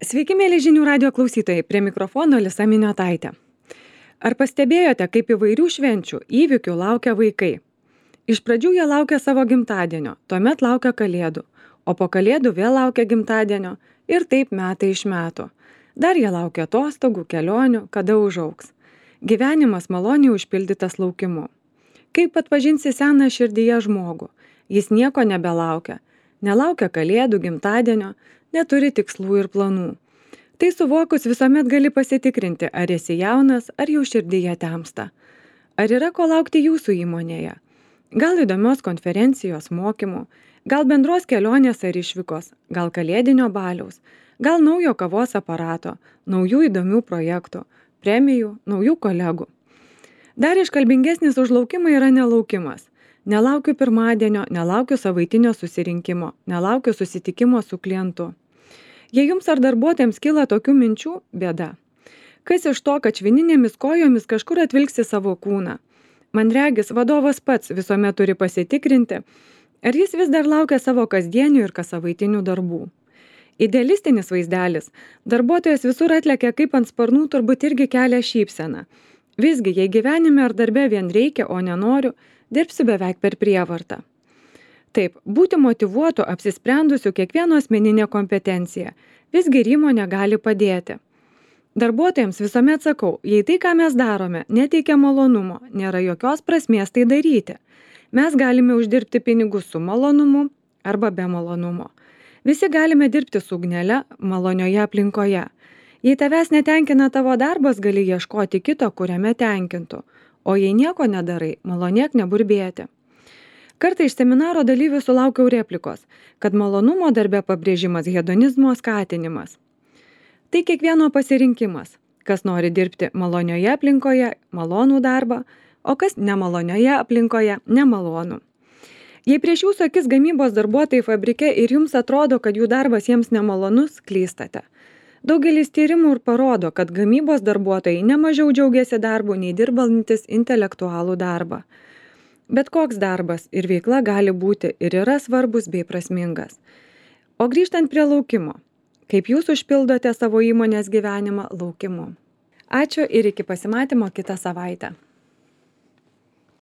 Sveiki, mėly žinių radio klausytojai, prie mikrofono Lisa Miniotaitė. Ar pastebėjote, kaip įvairių švenčių, įvykių laukia vaikai? Iš pradžių jie laukia savo gimtadienio, tuomet laukia kalėdų, o po kalėdų vėl laukia gimtadienio ir taip metai iš metų. Dar jie laukia atostogų, kelionių, kada užaugs. Gyvenimas maloniai užpildytas laukimu. Kaip atpažinsi seną širdyje žmogų? Jis nieko nebelaukia. Nelaukia kalėdų, gimtadienio, neturi tikslų ir planų. Tai suvokus visuomet gali pasitikrinti, ar esi jaunas, ar jau širdyje temsta. Ar yra ko laukti jūsų įmonėje? Gal įdomios konferencijos, mokymų, gal bendros kelionės ar išvykos, gal kalėdinio baliaus, gal naujo kavos aparato, naujų įdomių projektų, premijų, naujų kolegų. Dar iškalbingesnis už laukimą yra nelaukimas. Nelaukiu pirmadienio, nelaukiu savaitinio susirinkimo, nelaukiu susitikimo su klientu. Jei jums ar darbuotojams kyla tokių minčių, bėda. Kas iš to, kad švininėmis kojomis kažkur atvilksi savo kūną? Man regis, vadovas pats visuomet turi pasitikrinti, ar jis vis dar laukia savo kasdienių ir kassavaitinių darbų. Idealistinis vaizdelis, darbuotojas visur atlekia kaip ant sparnų, turbūt irgi kelia šypseną. Visgi, jei gyvenime ar darbe vien reikia, o nenoriu, dirbsiu beveik per prievartą. Taip, būti motyvuotu, apsisprendusiu kiekvieno asmeninė kompetencija. Visgi ir įmonė gali padėti. Darbuotojams visuomet sakau, jei tai, ką mes darome, neteikia malonumo, nėra jokios prasmės tai daryti. Mes galime uždirbti pinigus su malonumu arba be malonumo. Visi galime dirbti su ugnele, malonioje aplinkoje. Jei tavęs netenkina tavo darbas, gali ieškoti kito, kuriame tenkintų. O jei nieko nedarai, malonėk neburbėti. Kartą iš seminaro dalyvių sulaukiau replikos, kad malonumo darbe pabrėžimas hedonizmo skatinimas. Tai kiekvieno pasirinkimas, kas nori dirbti malonioje aplinkoje, malonų darbą, o kas nemalonioje aplinkoje, nemalonų. Jei prieš jūsų akis gamybos darbuotojai fabrike ir jums atrodo, kad jų darbas jiems nemalonus, klystate. Daugelis tyrimų ir parodo, kad gamybos darbuotojai nemažiau džiaugiasi darbu nei dirbantis intelektualų darbą. Bet koks darbas ir veikla gali būti ir yra svarbus bei prasmingas. O grįžtant prie laukimo, kaip jūs užpildote savo įmonės gyvenimą laukimu? Ačiū ir iki pasimatymo kitą savaitę.